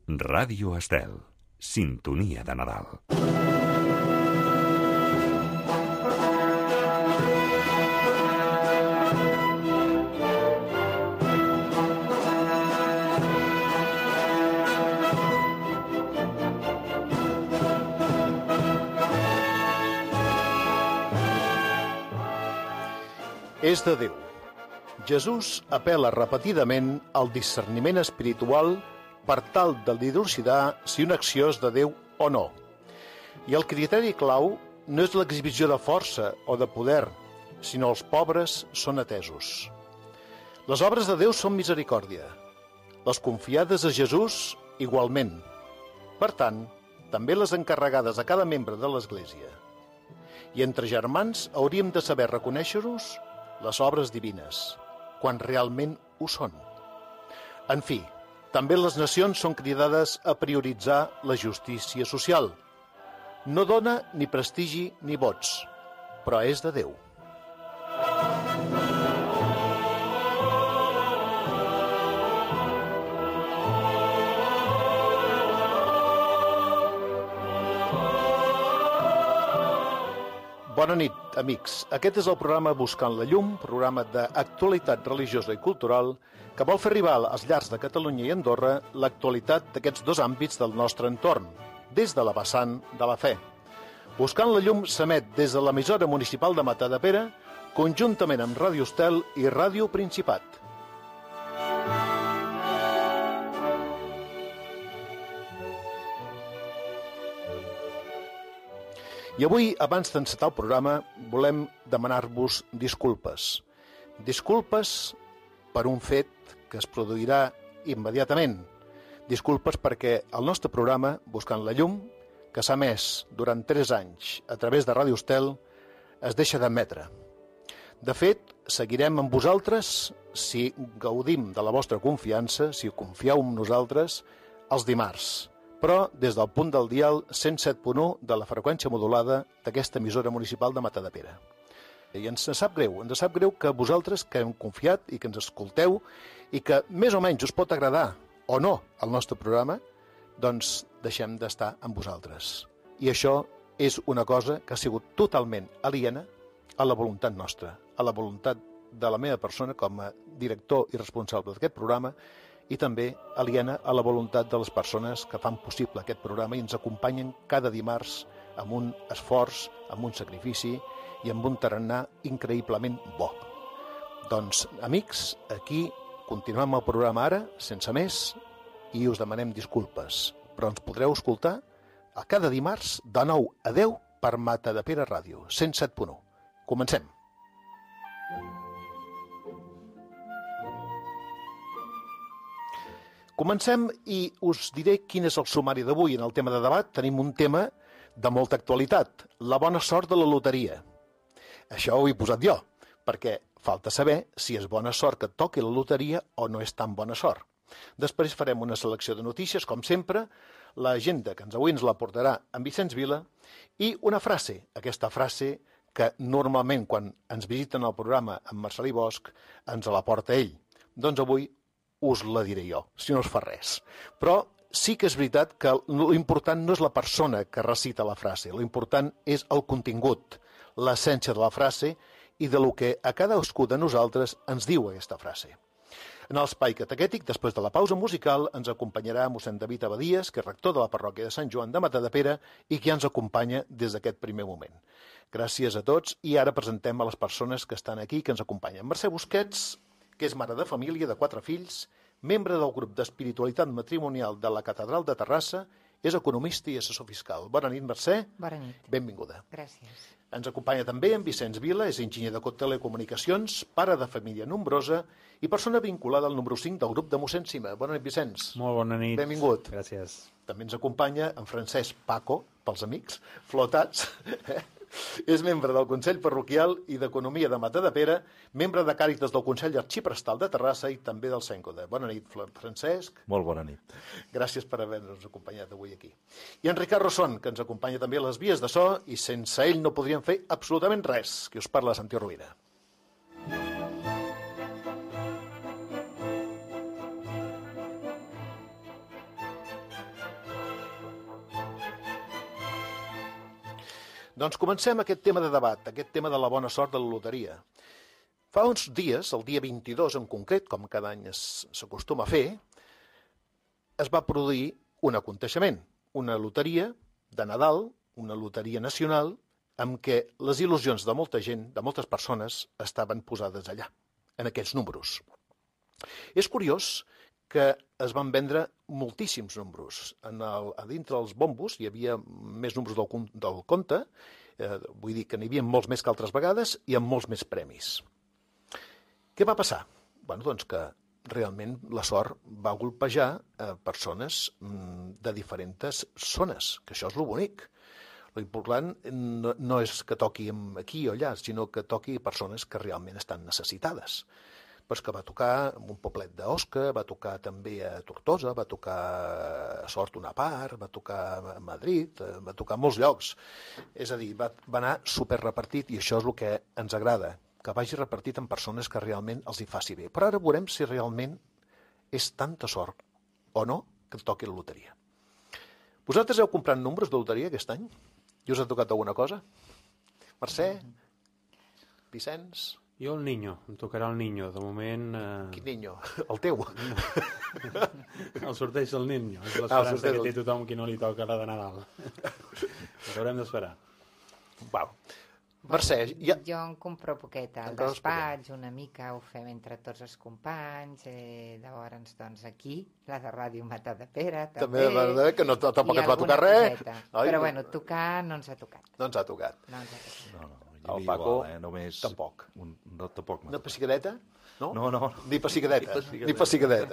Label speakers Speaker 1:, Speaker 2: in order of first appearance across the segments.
Speaker 1: Ràdio Estel, sintonia de Nadal.
Speaker 2: És de Déu. Jesús apel·la repetidament al discerniment espiritual per tal de dilucidar si una acció és de Déu o no. I el criteri clau no és l'exhibició de força o de poder, sinó els pobres són atesos. Les obres de Déu són misericòrdia. Les confiades a Jesús, igualment. Per tant, també les encarregades a cada membre de l'Església. I entre germans hauríem de saber reconèixer-nos les obres divines, quan realment ho són. En fi, també les nacions són cridades a prioritzar la justícia social. No dona ni prestigi ni vots, però és de Déu. Bona nit, amics. Aquest és el programa Buscant la Llum, programa d'actualitat religiosa i cultural que vol fer arribar als llars de Catalunya i Andorra l'actualitat d'aquests dos àmbits del nostre entorn, des de la vessant de la fe. Buscant la Llum s'emet des de l'emissora municipal de Matadepera, conjuntament amb Ràdio Estel i Ràdio Principat. I avui, abans d'encetar el programa, volem demanar-vos disculpes. Disculpes per un fet que es produirà immediatament. Disculpes perquè el nostre programa, Buscant la Llum, que s'ha emès durant 3 anys a través de Ràdio Estel, es deixa d'emetre. De fet, seguirem amb vosaltres si gaudim de la vostra confiança, si confieu en nosaltres, els dimarts, però des del punt del dial 107.1 de la freqüència modulada d'aquesta emissora municipal de Matadepera. I ens sap greu que vosaltres que hem confiat i que ens escolteu i que més o menys us pot agradar o no el nostre programa, doncs deixem d'estar amb vosaltres. I això és una cosa que ha sigut totalment aliena a la voluntat nostra, a la voluntat de la meva persona com a director i responsable d'aquest programa, i també aliena a la voluntat de les persones que fan possible aquest programa i ens acompanyen cada dimarts amb un esforç, amb un sacrifici i amb un tarannà increïblement bo. Doncs, amics, aquí continuem el programa ara, sense més, i us demanem disculpes, però ens podreu escoltar a cada dimarts de 9 a 10 per Matadepera Ràdio, 107.1. Comencem. Comencem i us diré quin és el sumari d'avui. En el tema de debat tenim un tema de molta actualitat, la bona sort de la loteria. Això ho he posat jo, perquè falta saber si és bona sort que et toqui la loteria o no és tan bona sort. Després farem una selecció de notícies, com sempre, l'agenda que avui ens la portarà en Vicenç Vila i una frase, aquesta frase que normalment quan ens visiten al programa amb Marcelí Bosch ens la porta ell. Doncs avui us la diré jo, si no us fa res. Però sí que és veritat que l'important no és la persona que recita la frase, l'important és el contingut, l'essència de la frase i de lo que a cadascú de nosaltres ens diu aquesta frase. En l'espai catequètic, després de la pausa musical, ens acompanyarà mossèn David Abadies, que és rector de la parròquia de Sant Joan de Matadepera i que ja ens acompanya des d'aquest primer moment. Gràcies a tots i ara presentem a les persones que estan aquí, que ens acompanyen. Mercè Busquets, que és mare de família de 4 fills, membre del grup d'espiritualitat matrimonial de la Catedral de Terrassa, és economista i assessor fiscal. Bona nit, Mercè.
Speaker 3: Bona nit.
Speaker 2: Benvinguda.
Speaker 3: Gràcies.
Speaker 2: Ens acompanya també en Vicenç Vila, és enginyer de telecomunicacions, pare de família nombrosa i persona vinculada al número 5 del grup de mossèn Sima. Bona nit, Vicenç.
Speaker 4: Molt bona nit.
Speaker 2: Benvingut.
Speaker 4: Gràcies.
Speaker 2: També ens acompanya en Francesc Paco, pels amics, flotats. És membre del Consell Parroquial i d'Economia de Matadepera, membre de Càritas del Consell Arxiprestal de Terrassa i també del Cèncoda. Bona nit, Francesc.
Speaker 4: Molt bona nit.
Speaker 2: Gràcies per haver-nos acompanyat avui aquí. I en Ricard Rosson, que ens acompanya també a les vies de so, i sense ell no podríem fer absolutament res. Qui us parla, Santi Rovira. Doncs comencem aquest tema de debat, aquest tema de la bona sort de la loteria. Fa uns dies, el dia 22 en concret, com cada any s'acostuma a fer, es va produir un aconteixement, una loteria de Nadal, una loteria nacional, amb què les il·lusions de molta gent, de moltes persones, estaven posades allà, en aquells números. És curiós que es van vendre moltíssims números. A dintre dels bombos hi havia més números del compte, vull dir que n'hi havia molts més que altres vegades i amb molts més premis. Què va passar? Doncs que realment la sort va golpejar persones de diferents zones, que això és el bonic. L'important no és que toqui aquí o allà, sinó que toqui persones que realment estan necessitades. Però que va tocar un poblet d'Osca, va tocar també a Tortosa, va tocar a Sort una part, va tocar a Madrid, va tocar a molts llocs. És a dir, va anar superrepartit i això és el que ens agrada, que vagi repartit en persones que realment els hi faci bé. Però ara veurem si realment és tanta sort o no que et toqui la loteria. Vosaltres heu comprat números de loteria aquest any? I us ha tocat alguna cosa? Mercè? Vicenç?
Speaker 3: Jo el Niño, em tocarà el Niño, de moment...
Speaker 2: Quin Niño? El teu?
Speaker 3: El sorteig del Niño, és l'esperança que té tothom qui no li toca la de Nadal. Ho haurem d'esperar.
Speaker 2: Uau. Mercè, ja...
Speaker 4: Jo en compro poquet al despatx, una mica ho fem entre tots els companys, llavors doncs aquí, la de Ràdio Matadepera també,
Speaker 2: que no, tampoc et va tocar res.
Speaker 4: Però bueno, tocar no ens ha tocat.
Speaker 2: No ens ha tocat.
Speaker 5: No.
Speaker 2: El Paco
Speaker 5: només
Speaker 2: tampoc.
Speaker 5: Tampoc.
Speaker 2: Una pessigadeta? No?
Speaker 5: No.
Speaker 2: Ni pessigadeta.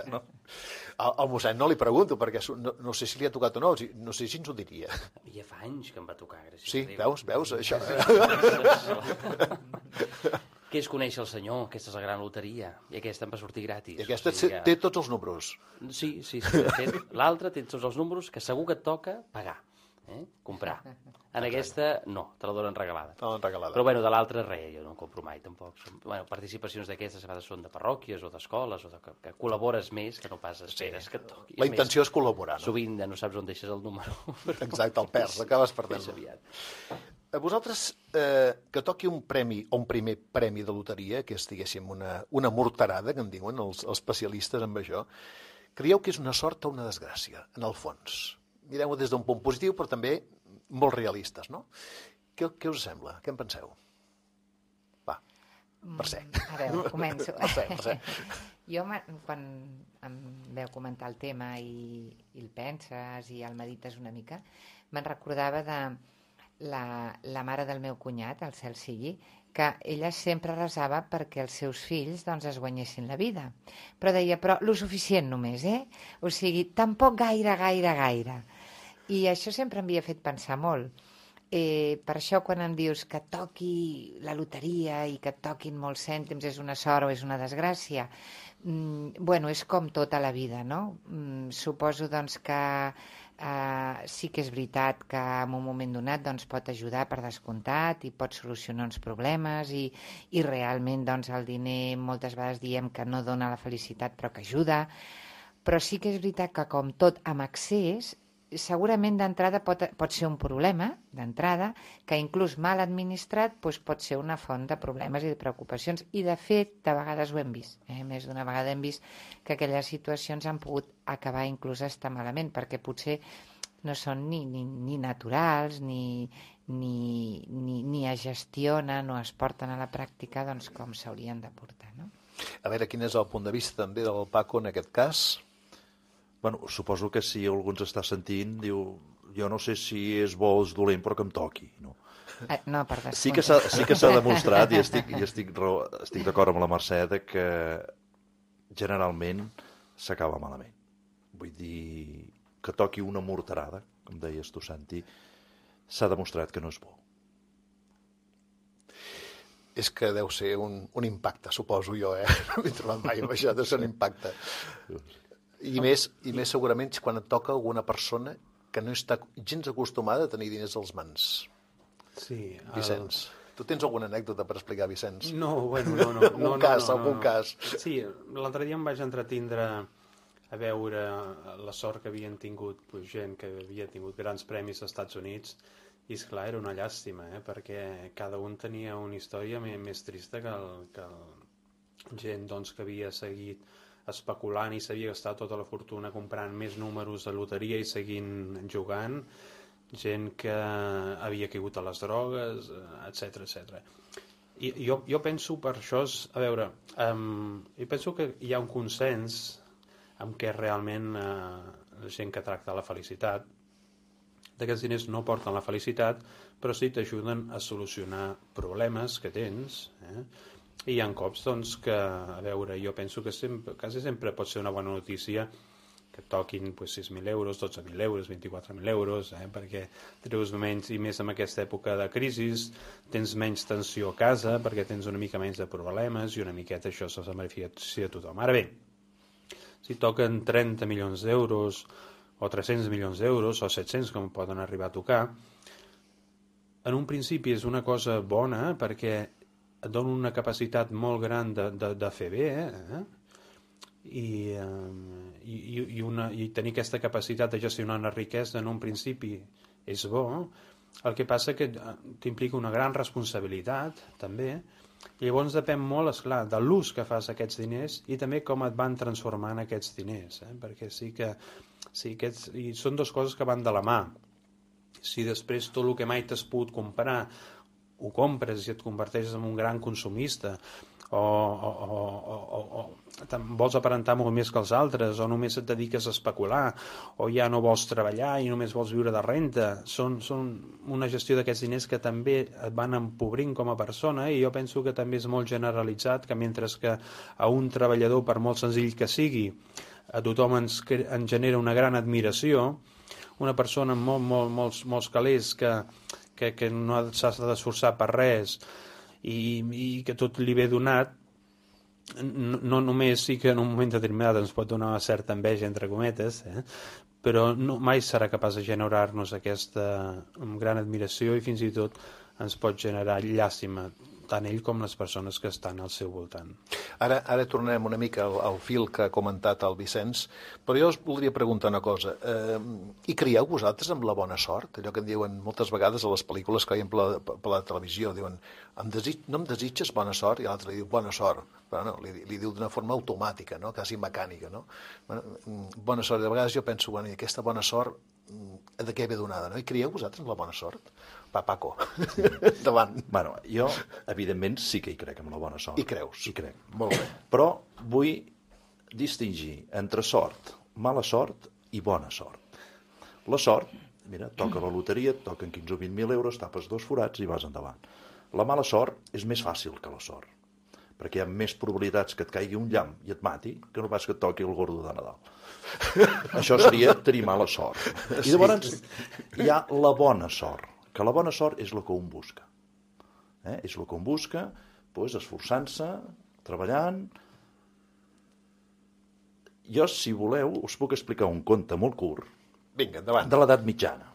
Speaker 2: No. Al mossèn no li pregunto, perquè no sé si li ha tocat o no, no sé si ens ho diria.
Speaker 6: Ja fa anys que em va tocar, gràcies.
Speaker 2: Sí, veus, això.
Speaker 6: Què és conèixer el senyor? Aquesta és la gran loteria. I aquesta em va sortir gratis.
Speaker 2: I aquesta té tots els números.
Speaker 6: Sí. L'altra té tots els números que segur que et toca pagar. Comprar. En aquesta no, te la donen regalada. Però bueno, de l'altra res, jo no en compro mai tampoc. Participacions d'aquestes a vegades són de parròquies o d'escoles, o que col·labores més que no pas esperes que et toqui.
Speaker 2: La intenció és col·laborar, no?
Speaker 6: Sovint no saps on deixes el número.
Speaker 2: Exacte, el perds, acabes perdent. A vosaltres, que toqui un premi o un primer premi de loteria, que és, diguéssim, una morterada, que en diuen els especialistes en això, creieu que és una sort o una desgràcia, en el fons? Mireu-ho des d'un punt positiu, però també molt realistes, no? Què us sembla? Què en penseu? Va, Mercè.
Speaker 4: A veure, començo.
Speaker 2: Mercè.
Speaker 4: Jo, quan em veu comentar el tema i el penses i el medites una mica, me'n recordava de la mare del meu cunyat, el cel sigui, que ella sempre resava perquè els seus fills doncs, es guanyessin la vida. Però deia, lo suficient només, O sigui, tampoc gaire. I això sempre m'havia fet pensar molt. Per això quan em dius que toqui la loteria i que et toquin molts cèntims és una sort o és una desgràcia, és com tota la vida, no? Suposo doncs que sí que és veritat que en un moment donat doncs, pot ajudar per descomptat i pot solucionar uns problemes i realment doncs, el diner moltes vegades diem que no dona la felicitat però que ajuda, però sí que és veritat que com tot amb excés segurament d'entrada pot ser un problema d'entrada que inclús mal administrat pot ser una font de problemes i de preocupacions i de fet de vegades ho hem vist, més d'una vegada hem vist que aquelles situacions han pogut acabar inclús estar malament perquè potser no són ni naturals ni es gestionen o es porten a la pràctica doncs, com s'haurien de portar, no?
Speaker 2: A veure, quin és el punt de vista també del Paco en aquest cas?
Speaker 5: Bueno, suposo que si algú ens està sentint, diu, jo no sé si és bo o és dolent, però que em toqui, no?
Speaker 4: No, per descomptat.
Speaker 5: Sí que s'ha demostrat, i estic d'acord amb la Mercè, que generalment s'acaba malament. Vull dir, que toqui una morterada, com deies tu, Santi, s'ha demostrat que no és bo.
Speaker 2: És que deu ser un impacte, suposo jo, No m'he trobat mai amb això, deu ser un impacte. I més segurament quan et toca alguna persona que no està gens acostumada a tenir diners als mans.
Speaker 3: Sí.
Speaker 2: Vicenç, tu tens alguna anècdota per explicar, Vicenç?
Speaker 3: No.
Speaker 2: Algun cas.
Speaker 3: Sí, l'altre dia em vaig entretindre a veure la sort que havien tingut gent que havia tingut grans premis als Estats Units I esclar, era una llàstima, perquè cada un tenia una història més trista que gent doncs, que havia seguit especulant i s'havia gastat tota la fortuna comprant més números de loteria i seguint jugant, gent que havia caigut a les drogues, etc. I jo penso per això, a veure, jo penso que hi ha un consens en què realment la gent que tracta la felicitat, d'aquests diners no porten la felicitat, però sí t'ajuden a solucionar problemes que tens, i hi ha cops doncs, que, a veure, jo penso que quasi sempre pot ser una bona notícia que et toquin 6.000 euros, 12.000 euros, 24.000 euros, perquè treus menys, i més en aquesta època de crisi, tens menys tensió a casa, perquè tens una mica menys de problemes, i una miqueta això se beneficia a tothom. Ara bé, si toquen 30 milions d'euros, o 300 milions d'euros, o 700, com poden arribar a tocar, en un principi és una cosa bona, perquè et dona una capacitat molt gran de fer bé, i tenir aquesta capacitat de gestionar una riquesa en un principi és bo. El que passa que t'implica una gran responsabilitat, també, i llavors depèn molt, esclar, de l'ús que fas aquests diners i també com et van transformant aquests diners, perquè i són dues coses que van de la mà. Si després tot el que mai t'has pogut comprar ho compres i et converteixes en un gran consumista, o vols aparentar molt més que els altres, o només et dediques a especular, o ja no vols treballar i només vols viure de renta, són una gestió d'aquests diners que també et van empobrint com a persona, i jo penso que també és molt generalitzat que mentre que a un treballador, per molt senzill que sigui, a tothom ens genera una gran admiració, una persona amb molts calés que no s'ha d'esforçar per res i que tot li ve donat, no només sí que en un moment determinat ens pot donar una certa enveja, entre cometes, però mai serà capaç de generar-nos aquesta gran admiració, i fins i tot ens pot generar llàstima, tant ell com les persones que estan al seu voltant.
Speaker 2: Ara tornarem una mica al fil que ha comentat el Vicenç, però jo us voldria preguntar una cosa. Hi creieu vosaltres amb la bona sort? Allò que en diuen moltes vegades a les pel·lícules que veiem per la televisió, diuen no em desitges bona sort? I l'altre li diu bona sort, però no, li diu d'una forma automàtica, no? Quasi mecànica, no? Bona sort, de vegades jo penso, i aquesta bona sort de què ve donada, no? I creieu vosaltres en la bona sort? Paco, endavant.
Speaker 5: Bueno, jo, evidentment, sí que hi crec en la bona sort.
Speaker 2: Hi creus?
Speaker 5: Hi crec.
Speaker 2: Molt bé.
Speaker 5: Però vull distingir entre sort, mala sort i bona sort. La sort, mira, toca la loteria, et toquen 15 o 20.000 euros, tapes 2 forats i vas endavant. La mala sort és més fàcil que la sort, perquè hi ha més probabilitats que et caigui un llamp i et mati que no pas que et toqui el gordo de Nadal. Això seria tenir mala sort. I llavors hi ha la bona sort, que la bona sort és el que un busca. És el que un busca, esforçant-se, treballant. Jo, si voleu, us puc explicar un conte molt curt.
Speaker 2: Vinga, endavant.
Speaker 5: De l'edat mitjana.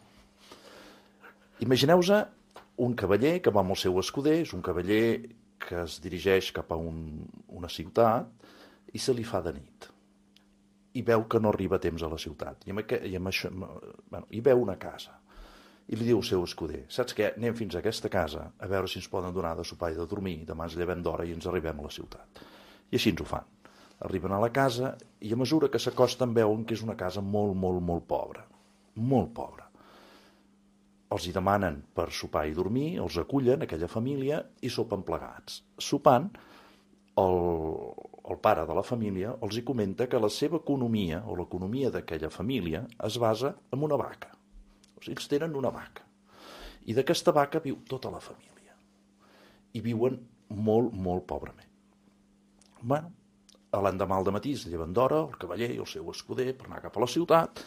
Speaker 5: Imagineu-vos un cavaller que va amb el seu escuder, és un cavaller que es dirigeix cap a una ciutat i se li fa de nit. I veu que no arriba a temps a la ciutat. I veu una casa. I li diu al seu escuder, saps què? Anem fins a aquesta casa a veure si ens poden donar de sopar i de dormir, demà ens llevem d'hora i ens arribem a la ciutat. I així ens ho fan. Arriben a la casa i a mesura que s'acosten veuen que és una casa molt, molt, molt pobra. Molt pobra. Els hi demanen per sopar i dormir, els acullen, aquella família, i sopen plegats. Sopant, el pare de la família els hi comenta que la seva economia, o l'economia d'aquella família, es basa en una vaca. O sigui, ells tenen una vaca. I d'aquesta vaca viu tota la família. I viuen molt, molt pobrament. Bueno, l'endemà al dematí es lleven d'hora, el cavaller i el seu escuder, per anar cap a la ciutat,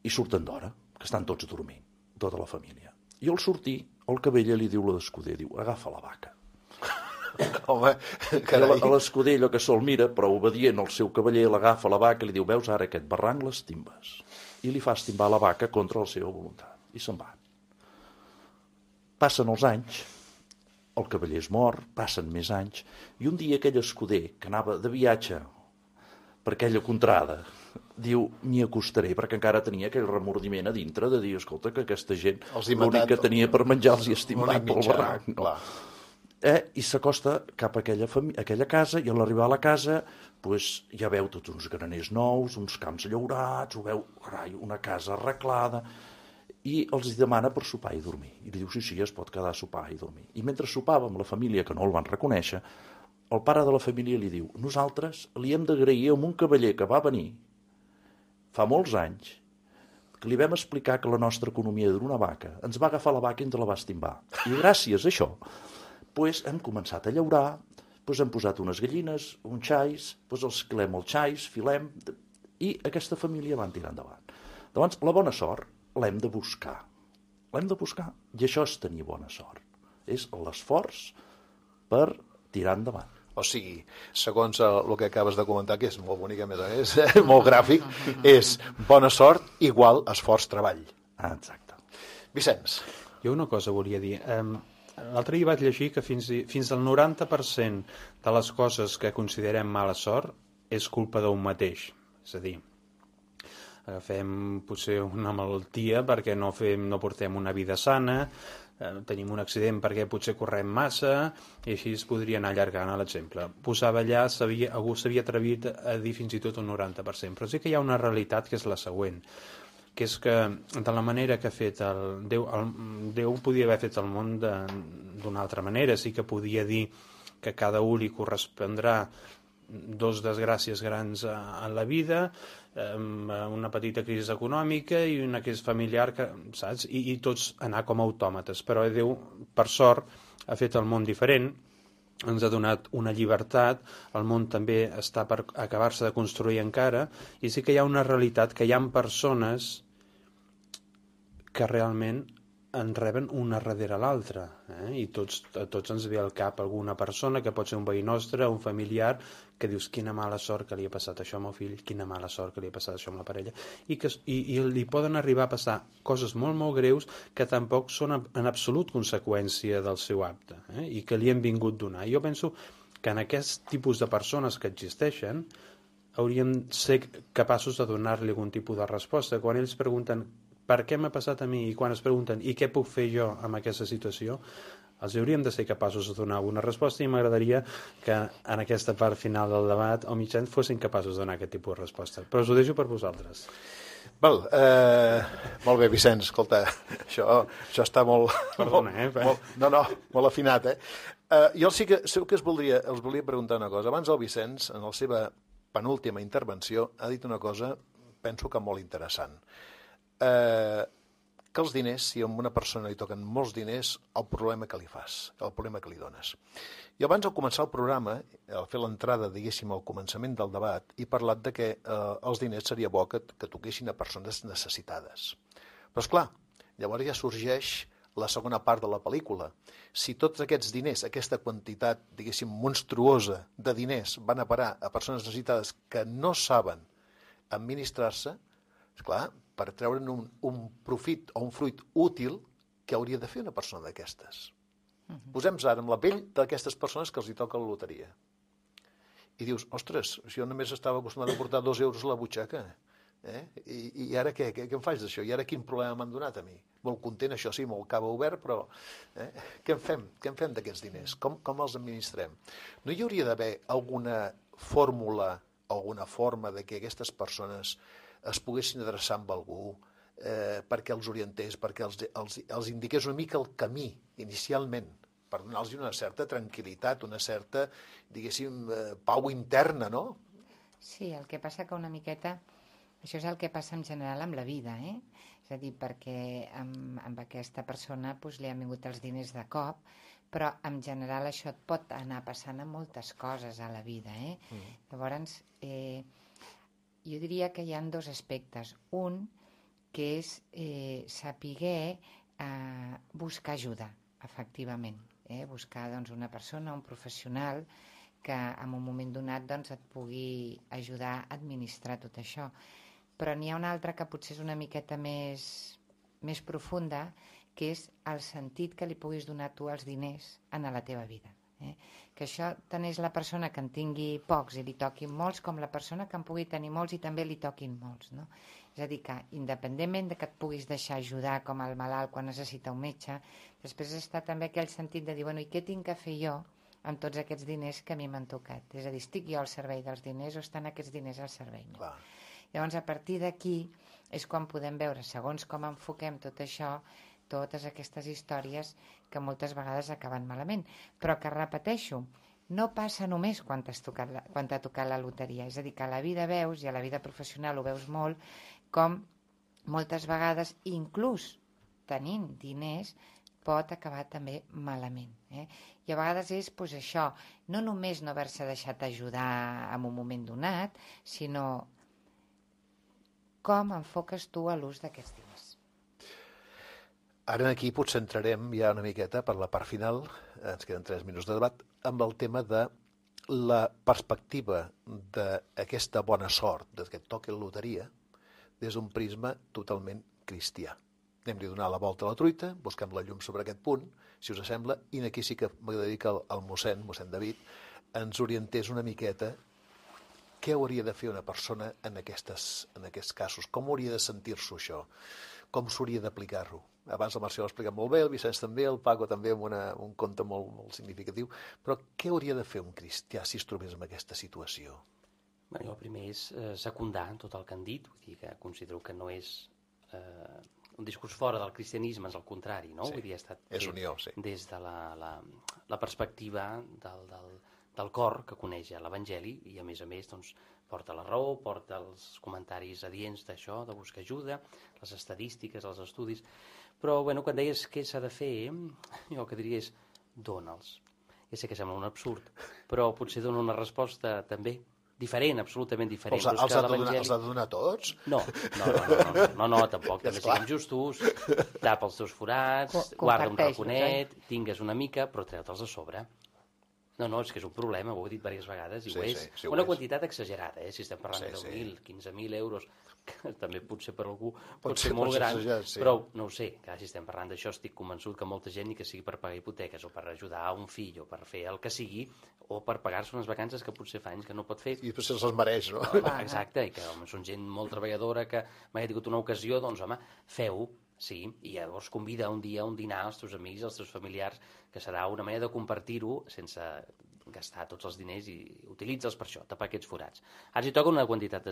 Speaker 5: i surten d'hora, que estan tots dormint, tota la família. I al sortir, el cavaller li diu a l'escuder, diu, agafa la vaca.
Speaker 2: Home, carai.
Speaker 5: L'escuder, allò que se'l mira, però obedient al seu cavaller, l'agafa la vaca i li diu, veus ara aquest barranc, les timbes. I li fa estimbar la vaca contra la seva voluntat. I se'n van. Passen els anys, el cavaller és mort, passen més anys, i un dia aquell escuder que anava de viatge per aquella contrada, diu, m'hi acostaré, perquè encara tenia aquell remordiment a dintre de dir, escolta, que aquesta gent l'únic que tenia per menjar els hi estimat pel barranc. No? I s'acosta cap a aquella casa, i a l'arribar a la casa ja veu tots uns graners nous, uns camps llaurats, ho veu, una casa arreglada, i els demana per sopar i dormir. I li diu, sí, es pot quedar a sopar i dormir. I mentre sopava amb la família, que no el van reconèixer, el pare de la família li diu, nosaltres li hem d'agrair a un cavaller que va venir fa molts anys, que li vam explicar que la nostra economia era una vaca, ens va agafar la vaca i ens la va estimbar. I gràcies a això hem començat a llaurar, hem posat unes gallines, uns xais, els filem els xais, filem, i aquesta família van tirar endavant. Llavors, la bona sort l'hem de buscar. L'hem de buscar. I això és tenir bona sort. És l'esforç per tirar endavant.
Speaker 2: O sigui, segons el que acabes de comentar, que és molt bonic, a més a més, molt gràfic, és bona sort igual esforç-treball.
Speaker 5: Exacte.
Speaker 2: Vicenç.
Speaker 3: Jo una cosa volia dir. L'altre dia vaig llegir que fins al 90% de les coses que considerem mala sort és culpa d'un mateix. És a dir, agafem potser una malaltia perquè no portem una vida sana, tenim un accident perquè potser correm massa, i així es podria anar allargant l'exemple. Posava allà, algú s'havia atrevit a dir fins i tot un 90%, però sí que hi ha una realitat que és la següent, que és que de la manera que ha fet Déu podia haver fet el món d'una altra manera, sí que podia dir que a cada un li correspondrà dos desgràcies grans a la vida, una petita crisi econòmica i una crisi familiar, saps? I tots anar com a autòmates. Però Déu, per sort, ha fet el món diferent, ens ha donat una llibertat, el món també està per acabar-se de construir encara, i sí que hi ha una realitat que hi ha persones que realment en reben una darrere l'altra, i a tots ens ve al cap alguna persona que pot ser un veí nostre, un familiar, que dius quina mala sort que li ha passat això al meu fill, quina mala sort que li ha passat això amb la parella, i li poden arribar a passar coses molt, molt greus que tampoc són en absolut conseqüència del seu acte, i que li hem vingut donar. Jo penso que en aquest tipus de persones que existeixen hauríem de ser capaços de donar-li algun tipus de resposta. Quan ells pregunten per què m'ha passat a mi, i quan es pregunten i què puc fer jo amb aquesta situació, els hauríem de ser capaços de donar una resposta, i m'agradaria que en aquesta part final del debat o mitjans fossin capaços de donar aquest tipus de resposta. Però us ho deixo per vosaltres.
Speaker 2: Val, molt bé, Vicenç, escolta, això està molt...
Speaker 3: Perdona,
Speaker 2: molt afinat, Jo sí que els volia preguntar una cosa. Abans el Vicenç, en la seva penúltima intervenció, ha dit una cosa, penso que molt interessant. Que els diners, si a una persona li toquen molts diners, el problema que li fas, el problema que li dones. I abans, al començar el programa, al fer l'entrada, diguéssim, al començament del debat, he parlat de que els diners seria bo que toquessin a persones necessitades. Però, esclar, llavors ja sorgeix la segona part de la pel·lícula. Si tots aquests diners, aquesta quantitat, diguéssim, monstruosa de diners van a parar a persones necessitades que no saben administrar-se, esclar, per treure'n un profit o un fruit útil que hauria de fer una persona d'aquestes. Posem-nos ara amb la pell d'aquestes persones que els hi toca la loteria. I dius, ostres, si jo només estava acostumat a portar 2 euros a la butxaca, i ara què em faig d'això? I ara quin problema m'han donat a mi? Molt content, això sí, molt cava obert, però què en fem? Què en fem d'aquests diners? Com els administrem? No hi hauria d'haver alguna fórmula, alguna forma de que aquestes persones es poguessin adreçar amb algú perquè els orientés, perquè els indiqués una mica el camí inicialment, per donar-los una certa tranquil·litat, una certa, diguéssim, pau interna, no?
Speaker 4: Sí, el que passa que una miqueta, això és el que passa en general amb la vida, És a dir, perquè amb aquesta persona li han vingut els diners de cop, però en general això et pot anar passant amb moltes coses a la vida, Llavors, jo diria que hi ha 2 aspectes. Un, que és saber buscar ajuda, efectivament. Buscar una persona, un professional, que en un moment donat et pugui ajudar a administrar tot això. Però n'hi ha una altra que potser és una miqueta més profunda, que és el sentit que li puguis donar tu als diners en la teva vida. Que això tant és la persona que en tingui pocs i li toquin molts, com la persona que en pugui tenir molts i també li toquin molts, no? És a dir, que independentment de que et puguis deixar ajudar com el malalt quan necessita un metge, després està també aquell sentit de dir, bueno, i què tinc que fer jo amb tots aquests diners que a mi m'han tocat? És a dir, estic jo al servei dels diners o estan aquests diners al servei meu? Llavors, a partir d'aquí és quan podem veure, segons com enfoquem tot això, totes aquestes històries que moltes vegades acaben malament, però que, repeteixo, no passa només quan t'ha tocat la loteria, és a dir, que a la vida veus, i a la vida professional ho veus molt, com moltes vegades, inclús tenint diners, pot acabar també malament. I a vegades és això, no només no haver-se deixat ajudar en un moment donat, sinó com enfoques tu a l'ús d'aquests diners.
Speaker 2: Ara aquí potser entrarem ja una miqueta per la part final, ens queden 3 minuts de debat, amb el tema de la perspectiva d'aquesta bona sort, que et toqui la loteria, des d'un prisma totalment cristià. Anem-li a donar la volta a la truita, busquem la llum sobre aquest punt, si us sembla, i aquí sí que m'agradaria que el mossèn David, ens orientés una miqueta què hauria de fer una persona en aquests casos, com hauria de sentir-s'ho això, com s'hauria d'aplicar-ho. Abans el Marcial ho ha explicat molt bé, el Vicenç també, el Paco també amb un conte molt significatiu, però què hauria de fer un cristià si es trobés en aquesta situació?
Speaker 6: Bueno, el primer és secundar tot el que han dit, vull dir que considero que no és un discurs fora del cristianisme, és el contrari, no?
Speaker 2: Sí,
Speaker 6: vull dir, ha estat
Speaker 2: és unió, sí.
Speaker 6: Des de la perspectiva del cor que coneix l'Evangeli i a més doncs, porta la raó, porta els comentaris adients d'això, de buscar ajuda, les estadístiques, els estudis. Però, bueno, quan deies què s'ha de fer, jo el que diria és dona'ls. Ja sé que sembla un absurd, però potser dona una resposta també diferent, absolutament diferent.
Speaker 2: Els ha de donar tots?
Speaker 6: No, tampoc, també siguem justos, tapa els teus forats, guarda un raconet, tingues una mica, però treu-te'ls a sobre. No, és que és un problema, ho he dit diverses vegades, i ho és. Una quantitat exagerada, si estem parlant de 10.000, 15.000 euros, que també potser per algú pot ser molt gran, però no ho sé, si estem parlant d'això estic convençut que molta gent, ni que sigui per pagar hipoteques o per ajudar a un fill o per fer el que sigui, o per pagar-se unes vacances que potser fa anys que no pot fer.
Speaker 2: I després se'ls mereix, no?
Speaker 6: Exacte, i que són gent molt treballadora, que mai ha tingut una ocasió, doncs home, feu-ho. Sí, i llavors convida un dia a un dinar als teus amics, als teus familiars, que serà una manera de compartir-ho sense gastar tots els diners i utilitza'ls per això, tapar aquests forats. Ara si toca una quantitat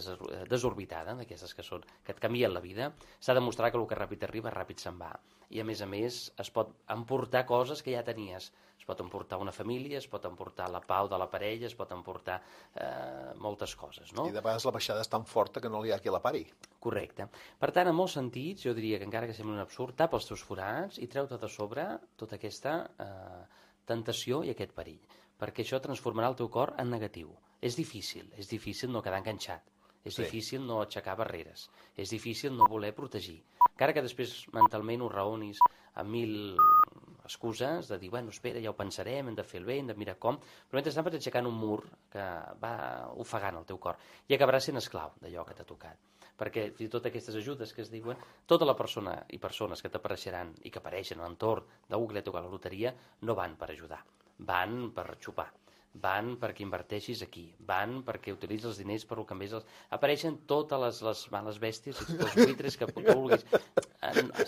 Speaker 6: desorbitada, d'aquestes que et canvien la vida, s'ha de demostrar que el que ràpid arriba, ràpid se'n va. I a més es pot emportar coses que ja tenies. Es pot emportar una família, es pot emportar la pau de la parella, es pot emportar moltes coses, no?
Speaker 2: I de vegades la baixada és tan forta que no li ha qui la pari.
Speaker 6: Correcte. Per tant, en molts sentits, jo diria que encara que sembli un absurd, tapa els teus forats i treu-te de sobre tota aquesta tentació i aquest perill, perquè això transformarà el teu cor en negatiu. És difícil no quedar enganxat, és difícil no aixecar barreres, és difícil no voler protegir. Encara que després mentalment ho raonis amb 1.000 excuses de dir, bueno, espera, ja ho pensarem, hem de fer el bé, hem de mirar com, però mentrestant vas aixecant un mur que va ofegant el teu cor i acabaràs sent esclau d'allò que t'ha tocat. Perquè fins i tot aquestes ajudes que es diuen, tota la persona i persones que t'apareixeran i que apareixen a l'entorn d'algú que li ha tocat la loteria no van per ajudar, van per xupar, van perquè inverteixis aquí, van perquè utilitzis els diners per el que més... Apareixen totes les males bèsties, els buitres que vulguis.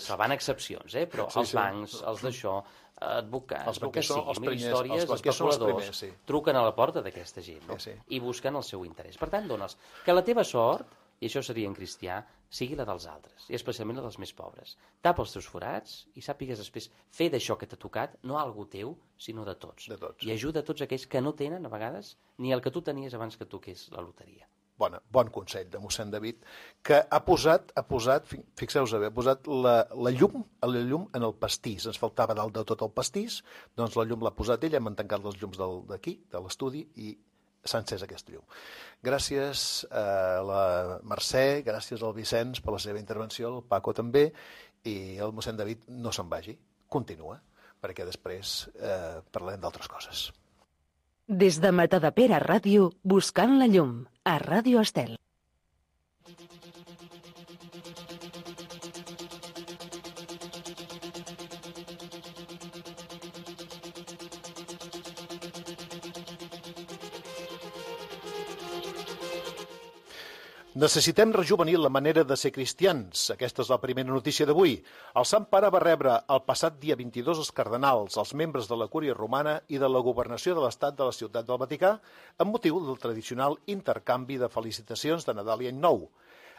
Speaker 6: Se van excepcions, però els bancs, els d'això, advocats, el que sigui, mil històries, especuladors, truquen a la porta d'aquesta gent i busquen el seu interès. Per tant, dona'ls que la teva sort, i això seria en cristià, sigui la dels altres, i especialment la dels més pobres. Tapa els teus forats i sàpigues després fer d'això que t'ha tocat, no algú teu, sinó de tots. I ajuda a tots aquells que no tenen, a vegades, ni el que tu tenies abans que toqués la loteria.
Speaker 2: Bon consell de mossèn David, que ha posat, fixeu-vos bé, ha posat la llum en el pastís. Ens faltava dalt de tot el pastís, doncs la llum l'ha posat ell, hem tancat les llums d'aquí, de l'estudi, i s'ha encès aquesta llum. Gràcies a la Mercè, gràcies al Vicenç per la seva intervenció, el Paco també, i el mossèn David no se'n vagi, continua, perquè després parlarem d'altres coses.
Speaker 7: Des de Matadepera Ràdio, buscant la llum, a Ràdio Estel.
Speaker 2: Necessitem rejuvenir la manera de ser cristians. Aquesta és la primera notícia d'avui. El Sant Pare va rebre el passat dia 22 els cardenals, els membres de la Cúria Romana i de la Governació de l'Estat de la Ciutat del Vaticà amb motiu del tradicional intercanvi de felicitacions de Nadal i Any Nou.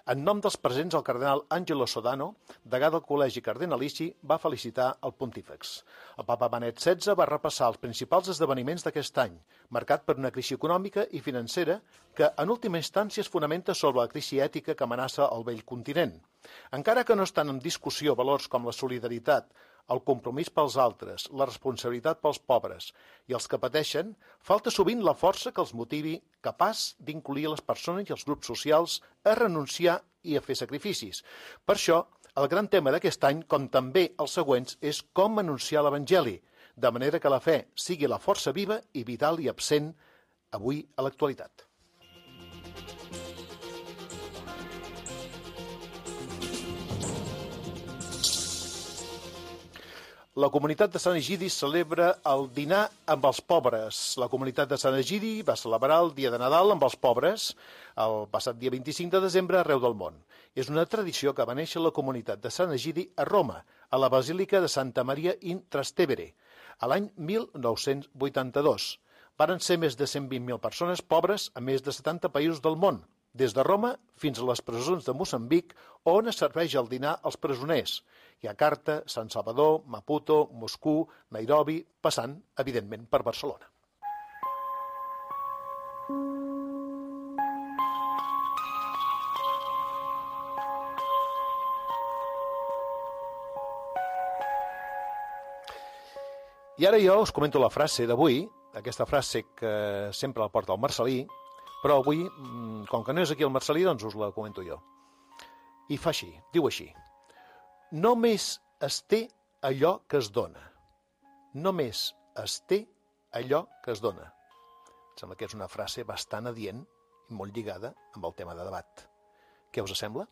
Speaker 2: En nom dels presents, el cardenal Angelo Sodano, degà del Col·legi Cardenalici, va felicitar el pontífex. El papa Benet XVI va repassar els principals esdeveniments d'aquest any, marcat per una crisi econòmica i financera que, en última instància, es fonamenta sobre la crisi ètica que amenaça el vell continent. Encara que no estan en discussió valors com la solidaritat, el compromís pels altres, la responsabilitat pels pobres i els que pateixen, falta sovint la força que els motivi capaç d'incluir les persones i els grups socials a renunciar i a fer sacrificis. Per això, el gran tema d'aquest any, com també els següents, és com anunciar l'Evangeli, de manera que la fe sigui la força viva i vital i absent avui a l'actualitat. La comunitat de Sant Egidi celebra el dinar amb els pobres. La comunitat de Sant Egidi va celebrar el dia de Nadal amb els pobres el passat dia 25 de desembre arreu del món. És una tradició que va néixer la comunitat de Sant Egidi a Roma, a la Basílica de Santa Maria in Trastevere, a l'any 1982. Varen ser més de 120.000 persones pobres a més de 70 països del món, des de Roma fins a les presons de Moçambic, on es serveix el dinar als presoners. Jakarta, San Salvador, Maputo, Moscou, Nairobi, passant, evidentment, per Barcelona. I ara jo us comento la frase d'avui, aquesta frase que sempre la porta el Marcelí, però avui, com que no és aquí el Marcelí, doncs us la comento jo. I fa així, diu així: només es té allò que es dona. Només es té allò que es dona. Em sembla que és una frase bastant adient i molt lligada amb el tema de debat. Què us sembla?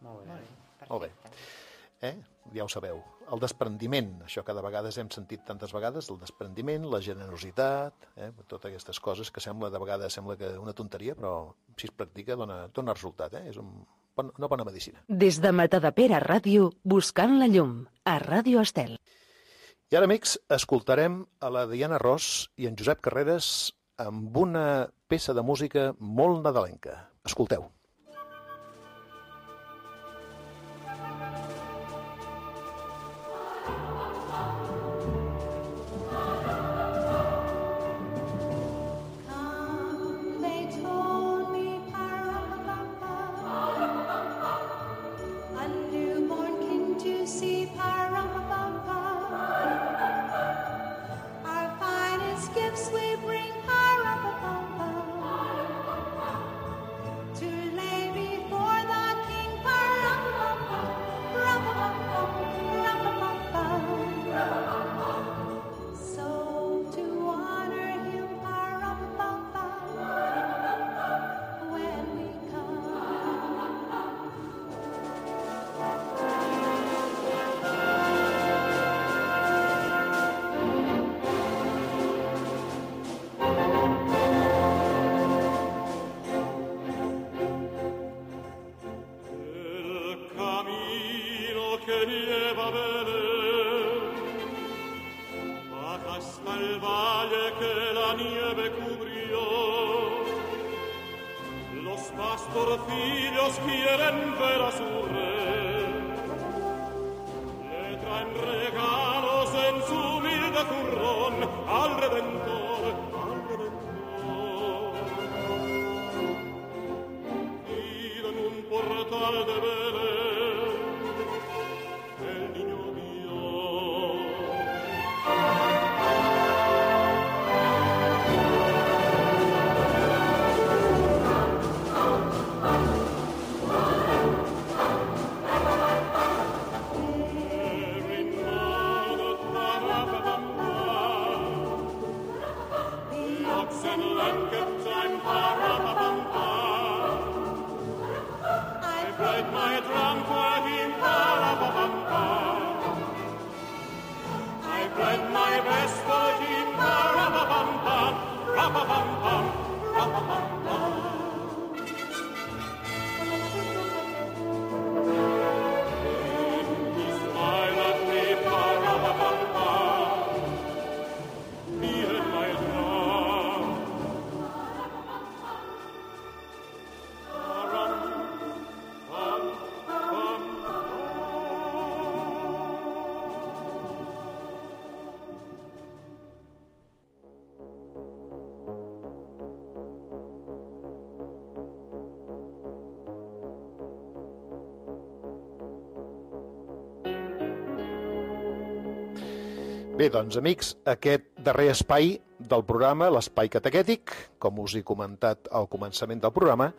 Speaker 3: Molt bé.
Speaker 2: Molt bé. Ja ho sabeu. El desprendiment, això que de vegades hem sentit tantes vegades, el desprendiment, la generositat, totes aquestes coses que de vegades sembla que una tonteria, però si es practica dona resultat. És una bona medicina.
Speaker 7: Des de Matadepera Ràdio, buscant la llum, a Ràdio Estel.
Speaker 2: I ara, amics, escoltarem a la Diana Ros i en Josep Carreras amb una peça de música molt nadalenca. Escolteu.
Speaker 8: Pastorcillos quieren ver a su rey, le traen regalos en su humilde zurrón al Redentor, piden un portal de Belén, el niño
Speaker 2: Bé, doncs, amics, aquest darrer espai del programa, l'espai catequètic, com us he comentat al començament del programa,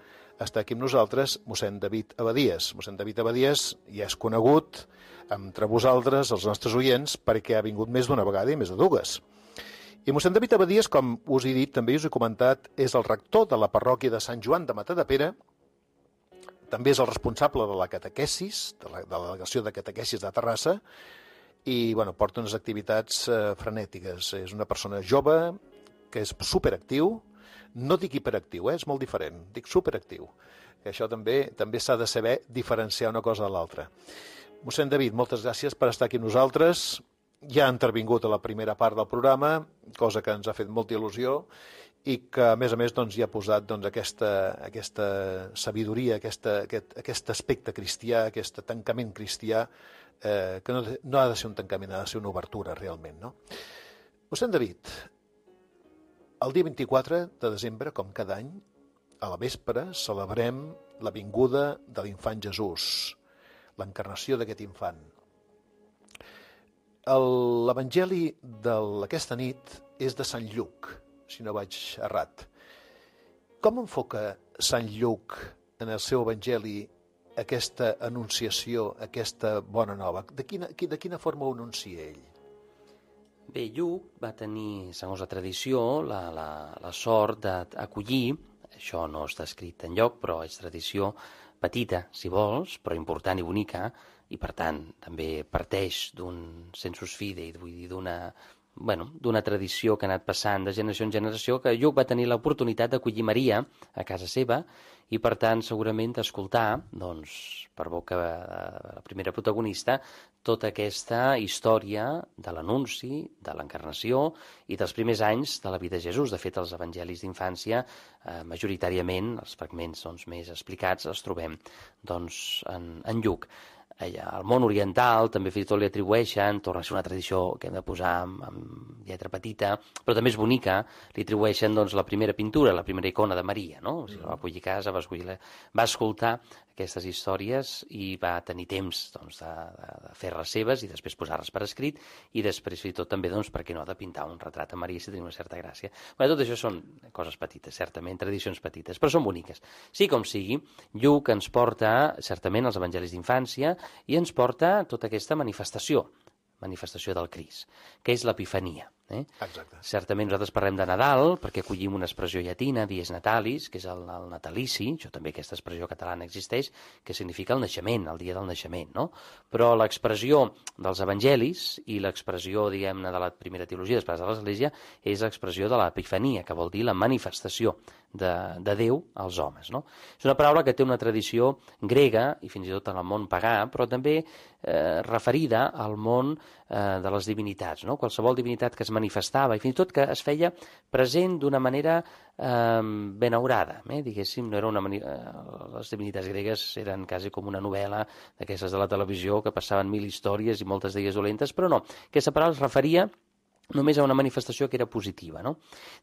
Speaker 2: està aquí amb nosaltres mossèn David Abadies. Mossèn David Abadies ja és conegut entre vosaltres, els nostres oients, perquè ha vingut més d'una vegada i més de dues. I mossèn David Abadies, com us he dit, també us he comentat, és el rector de la parròquia de Sant Joan de Matadepera, també és el responsable de la catequesis, de la delegació de catequesis de Terrassa, i bueno, porta unes activitats frenètiques. És una persona jove que és superactiu, no dic hiperactiu, és molt diferent, dic superactiu, que això també s'ha de saber diferenciar una cosa de l'altra. Mossèn David, moltes gràcies per estar aquí amb nosaltres. Ja ha intervingut a la primera part del programa, cosa que ens ha fet molta il·lusió, i que, a més, doncs, hi ha posat doncs, aquesta sabidoria, aquest aspecte cristià, aquest tancament cristià, que no ha de ser un tancament, ha de ser una obertura, realment, no? Mossèn David, el dia 24 de desembre, com cada any, a la vespre, celebrem la vinguda de l'infant Jesús, l'encarnació d'aquest infant. L'evangeli d'aquesta nit és de Sant Lluc, si no vaig errat. Com enfoca Sant Lluc en el seu evangeli aquesta anunciació, aquesta bona nova? De quina forma ho anuncia ell?
Speaker 6: Bé, Lluc va tenir, segons la tradició, la sort d'acollir, això no està escrit enlloc, però és tradició petita, si vols, però important i bonica, i per tant també parteix d'un sensus fidei, vull dir, d'una tradició que ha anat passant de generació en generació, que Lluc va tenir l'oportunitat d'acollir Maria a casa seva i, per tant, segurament d'escoltar, doncs, per boca de la primera protagonista, tota aquesta història de l'anunci, de l'encarnació i dels primers anys de la vida de Jesús. De fet, els evangelis d'infància, majoritàriament, els fragments doncs, més explicats, els trobem doncs, en Lluc. Al món oriental també fins i tot li atribueixen, torna a ser una tradició que hem de posar amb lletra petita, però també és bonica, li atribueixen doncs, la primera pintura, la primera icona de Maria, no? O sigui, va acollir a casa, va escoltar aquestes històries i va tenir temps doncs, de fer-les seves i després posar-les per escrit i després fins i tot també, doncs, per què no, de pintar un retrat a Maria si tenia una certa gràcia. Bé, tot això són coses petites, certament, tradicions petites, però són boniques. Sí com sigui, Lluc ens porta certament els evangelis d'infància i ens porta tota aquesta manifestació del Crist, que és l'Epifania.
Speaker 2: Exacte.
Speaker 6: Certament nosaltres parlem de Nadal perquè acollim una expressió llatina, dies natalis, que és el natalici, això també aquesta expressió catalana existeix, que significa el naixement, el dia del naixement, no? Però l'expressió dels evangelis i l'expressió, diguem-ne, de la primera teologia després de l'Església és l'expressió de l'Epifania, que vol dir la manifestació de Déu als homes, no? És una paraula que té una tradició grega i fins i tot en el món pagà, però també referida al món de les divinitats, no? Qualsevol divinitat que es manifestava i fins i tot que es feia present d'una manera benaurada, diguéssim, no era les divinitats gregues eren quasi com una novel·la d'aquestes de la televisió que passaven 1000 històries i moltes d'elles dolentes, però no, aquesta paraula es referia només a una manifestació que era positiva, no?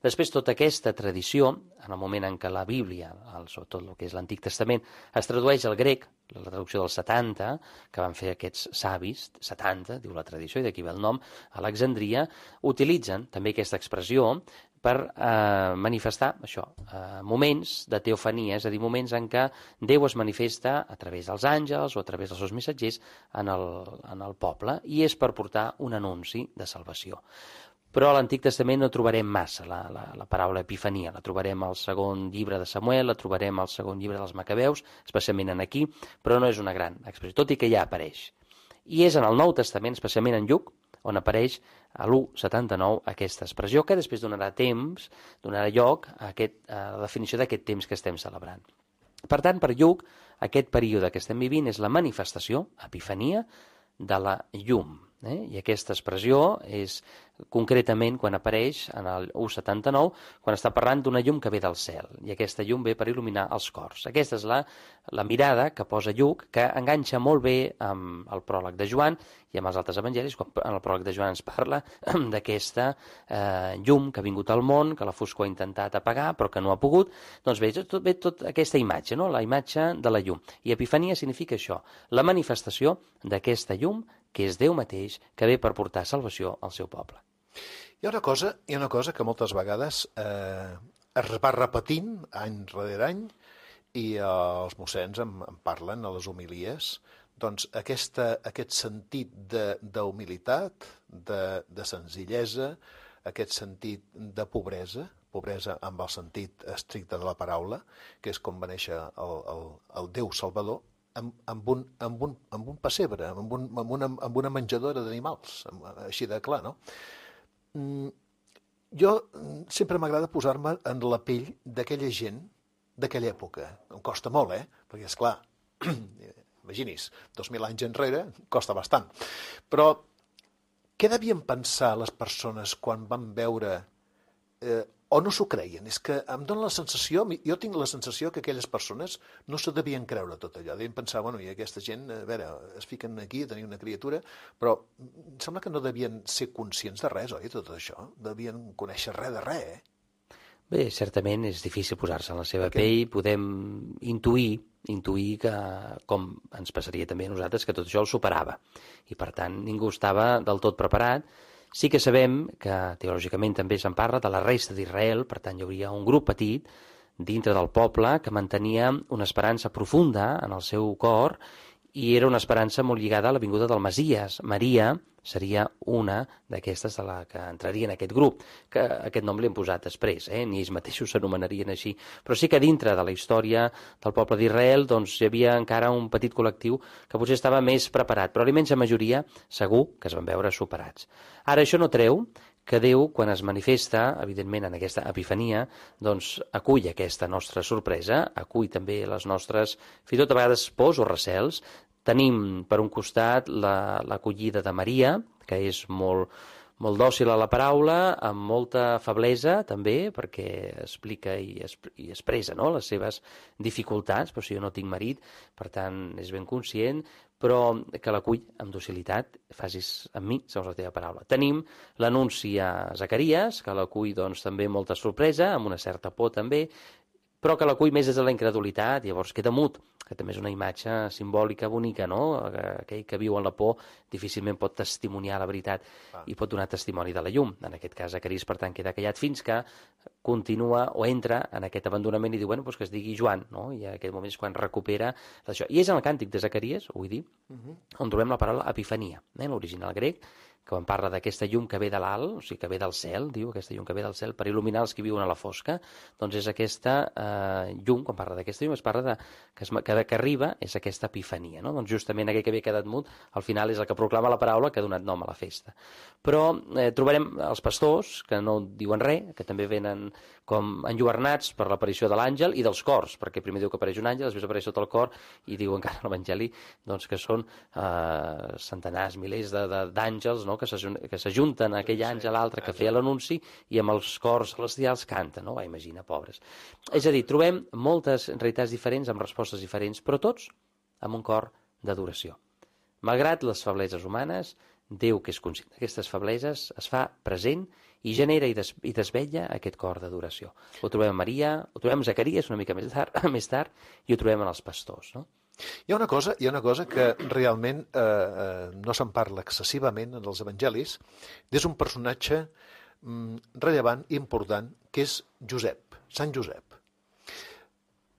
Speaker 6: Després, tota aquesta tradició, en el moment en què la Bíblia, sobretot el que és l'Antic Testament, es tradueix al grec, la traducció dels 70, que van fer aquests savis, 70, diu la tradició, i d'aquí ve el nom, a Alexandria, utilitzen també aquesta expressió per manifestar això, moments de teofania, és a dir, moments en què Déu es manifesta a través dels àngels o a través dels seus missatgers en el poble, i és per portar un anunci de salvació. Però a l'Antic Testament no trobarem massa la paraula epifania, la trobarem al segon llibre de Samuel, la trobarem al segon llibre dels Macabeus, especialment en aquí, però no és una gran expressió, tot i que ja apareix. I és en el Nou Testament, especialment en Lluc, on apareix a l'1.79 aquesta expressió, que després donarà lloc a la definició d'aquest temps que estem celebrant. Per tant, per Lluc, aquest període que estem vivint és la manifestació, epifania, de la llum. I aquesta expressió és concretament quan apareix en el 1.79, quan està parlant d'una llum que ve del cel, i aquesta llum ve per il·luminar els cors. Aquesta és la mirada que posa Lluc, que enganxa molt bé amb el pròleg de Joan i amb els altres evangelis, quan en el pròleg de Joan ens parla d'aquesta llum que ha vingut al món, que la foscor ha intentat apagar, però que no ha pogut. Doncs ve tot aquesta imatge, no? La imatge de la llum. I Epifania significa això, la manifestació d'aquesta llum, que és Déu mateix, que ve per portar salvació al seu poble.
Speaker 2: Hi ha una cosa que moltes vegades es va repetint any rere any, i els mossens en parlen a les homilies, doncs aquest sentit d'humilitat, de senzillesa, aquest sentit de pobresa amb el sentit estricte de la paraula, que és com va néixer el Déu Salvador, amb un pessebre, amb una menjadora d'animals, així de clar, no? Jo sempre m'agrada posar-me en la pell d'aquella gent d'aquella època. Em costa molt, perquè, esclar, imagini's, 2.000 anys enrere costa bastant. Però què devien pensar les persones quan van veure o no s'ho creien? És que em dóna la sensació, jo tinc la sensació que aquelles persones no se devien creure tot allò. Devien pensar, bueno, i aquesta gent, a veure, es fiquen aquí a tenir una criatura, però em sembla que no devien ser conscients de res, oi, tot això? Devien conèixer res de res,
Speaker 6: Bé, certament és difícil posar-se en la seva pell, podem intuir que, com ens passaria també a nosaltres, que tot això el superava. I per tant ningú estava del tot preparat. Sí que sabem que teològicament també se'n parla de la resta d'Israel, per tant hi hauria un grup petit dintre del poble que mantenia una esperança profunda en el seu cor i era una esperança molt lligada a la vinguda del Messies. Maria seria una d'aquestes de la que entraria en aquest grup, que aquest nom l'hem posat després, ni ells mateixos s'anomenarien així. Però sí que dintre de la història del poble d'Israel doncs, hi havia encara un petit col·lectiu que potser estava més preparat, però la immensa majoria segur que es van veure superats. Ara, això no treu que Déu, quan es manifesta, evidentment, en aquesta epifania, doncs acull aquesta nostra sorpresa, acull també les nostres, fins i tot a vegades pors o recels. Tenim, per un costat, l'acollida de Maria, que és molt dòcil a la paraula, amb molta feblesa, també, perquè explica i expressa les seves dificultats, però si jo no tinc marit, per tant, és ben conscient, però que l'acull amb docilitat, facis amb mi, segons la teva paraula. Tenim l'anunci a Zacaries, que l'acull doncs, també amb molta sorpresa, amb una certa por també, però que l'acull més des de la incredulitat, llavors queda mut, que també és una imatge simbòlica bonica, no? Aquell que viu en la por difícilment pot testimoniar la veritat i pot donar testimoni de la llum. En aquest cas, Zacaries, per tant, queda callat fins que continua o entra en aquest abandonament i diu, bueno, doncs que es digui Joan, no? I en aquest moment és quan recupera això. I és en el càntic de Zacaries, ho vull dir, on trobem la paraula epifania, l'original grec, que quan parla d'aquesta llum que ve de l'alt, o sigui, que ve del cel, diu, aquesta llum que ve del cel per il·luminar els que viuen a la fosca, doncs és aquesta llum, quan parla d'aquesta llum, es parla que arriba, és aquesta epifania, no? Doncs justament aquell que havia quedat mut, al final és el que proclama la paraula que ha donat nom a la festa. Però trobarem els pastors, que no diuen res, que també venen com enlluernats per l'aparició de l'àngel i dels cors, perquè primer diu que apareix un àngel, després apareix tot el cor, i diu encara a l'Evangeli doncs, que són centenars, milers d'àngels, no? que s'ajunten a aquell àngel, l'altre que feia l'anunci, i amb els cors celestials canten, no? Imagina, pobres. És a dir, trobem moltes realitats diferents, amb respostes diferents, però tots amb un cor d'adoració. Malgrat les febleses humanes, Déu, que és conscient d'aquestes febleses, es fa present i genera i desvetlla aquest cor d'adoració. Ho trobem a Maria, ho trobem a Zacaries una mica més tard, i ho trobem en els pastors, no?
Speaker 2: Hi ha una cosa que realment no se'n parla excessivament en els evangelis, és un personatge rellevant i important, que és Josep, Sant Josep.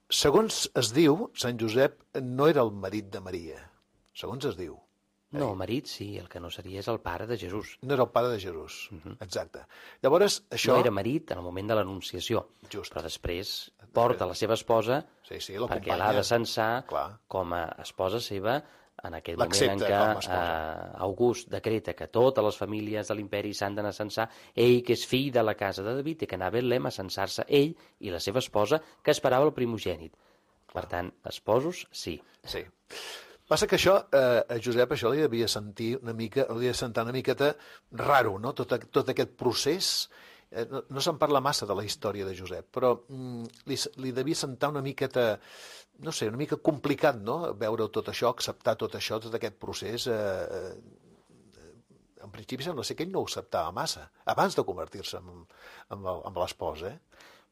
Speaker 2: Segons es diu, Sant Josep no era el marit de Maria, segons es diu.
Speaker 6: No, marit sí, el que no seria és el pare de Jesús.
Speaker 2: No era el pare de Jesús, exacte. Llavors, això...
Speaker 6: No era marit en el moment de l'Anunciació, però després porta la seva esposa perquè l'ha de censar com a esposa seva en aquest moment en què August decreta que totes les famílies de l'imperi s'han d'anar a censar, ell, que és fill de la casa de David, té que anar a Betlem a censar-se ell i la seva esposa, que esperava el primogènit. Per tant, esposos, sí.
Speaker 2: Sí. Passa que això, a Josep, això li devia sentar una miqueta raro, no? Tot aquest procés. No se'n parla massa de la història de Josep, però li devia sentar una miqueta, no sé, una mica complicat, no?, veure tot això, acceptar tot això, tot aquest procés. En principi sembla ser que ell no ho acceptava massa, abans de convertir-se en l'espòs,